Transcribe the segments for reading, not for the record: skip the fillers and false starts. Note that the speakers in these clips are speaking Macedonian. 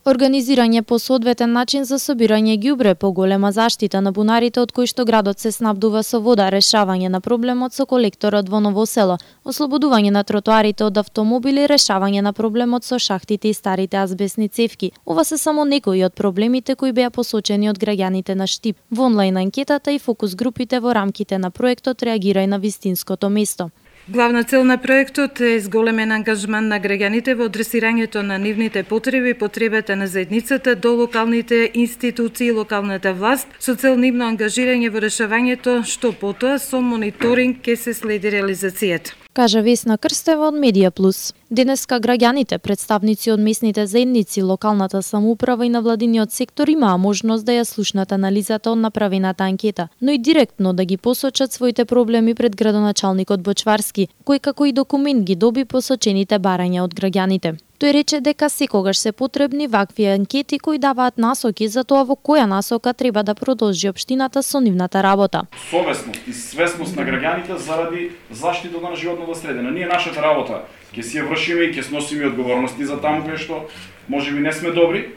Организирање по соодветен начин за собирање ѓубре, поголема заштита на бунарите од кои што градот се снабдува со вода, решавање на проблемот со колекторот во Ново село, ослободување на тротоарите од автомобили, решавање на проблемот со шахтите и старите азбесни цевки. Ова се само некои од проблемите кои беа посочени од граѓаните на Штип во онлайн анкетата и фокус групите во рамките на проектот Реагирај на вистинското место. Главна цел на проектот е зголемен ангажман на граѓаните во адресирањето на нивните потреби и потребите на заедницата до локалните институции и локалната власт со цел нивно ангажирање во решавањето, што потоа со мониторинг ќе се следи реализацијата. Кажа Весна Крстева од Медија Плюс. Денеска граѓаните, представници од местните заедници, локалната самоуправа и навладиниот сектор имаа можност да ја слушнат анализата од направената анкета, но и директно да ги посочат своите проблеми пред градоначалникот Бочварски, кој како и документ ги доби посочените барања од граѓаните. Тој рече дека секогаш се потребни вакви анкети кои даваат насоки за тоа во која насока треба да продолжи општината со нивната работа. Совесност и свесност на граѓаните заради заштитата на животната средина. Ние нашата работа ќе си ја вршиме и ќе сносиме одговорности за таму кај што можеби не сме добри,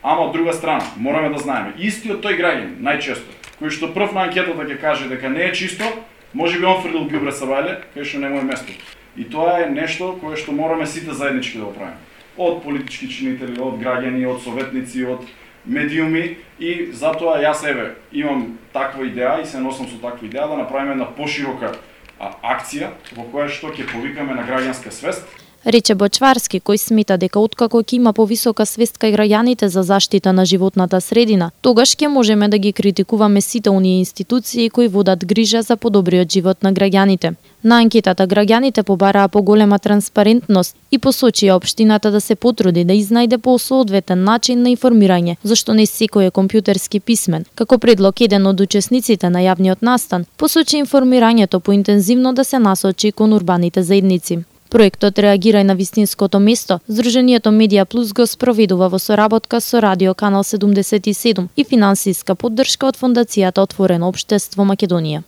ама од друга страна мораме да знаеме истиот тој граѓанин најчесто кој што прв на анкетата ќе каже дека не е чисто, можеби он фрлил ѓубре са вајле кај што не му е место. И тоа е нешто кое што мораме сите заеднички да го правиме. Од политички чинители, од граѓани, од советници, од медиуми и затоа јас имам таква идеја и се носам со таква идеја да направиме една поширока акција во која што ќе повикаме на граѓанска свест. Рече Бочварски, кој смета дека откако ќе има повисока свест кај граѓаните за заштита на животната средина, тогаш ќе можеме да ги критикуваме сите оние институции кои водат грижа за подобриот живот на граѓаните. На анкетата граѓаните побараа поголема транспарентност и посочија општината да се потруди да изнајде по соодветен начин на информирање, зашто не секој е компјутерски писмен. Како предлог еден од учесниците на јавниот настан посочи информирањето поинтензивно да се насочи кон урбаните заедници. Проектот Реагирај на вистинското место, Здруженијето Медија Плюс го спроведува во соработка со Радио Канал 77 и финансиска поддршка од Фондацијата Отворено општество Македонија.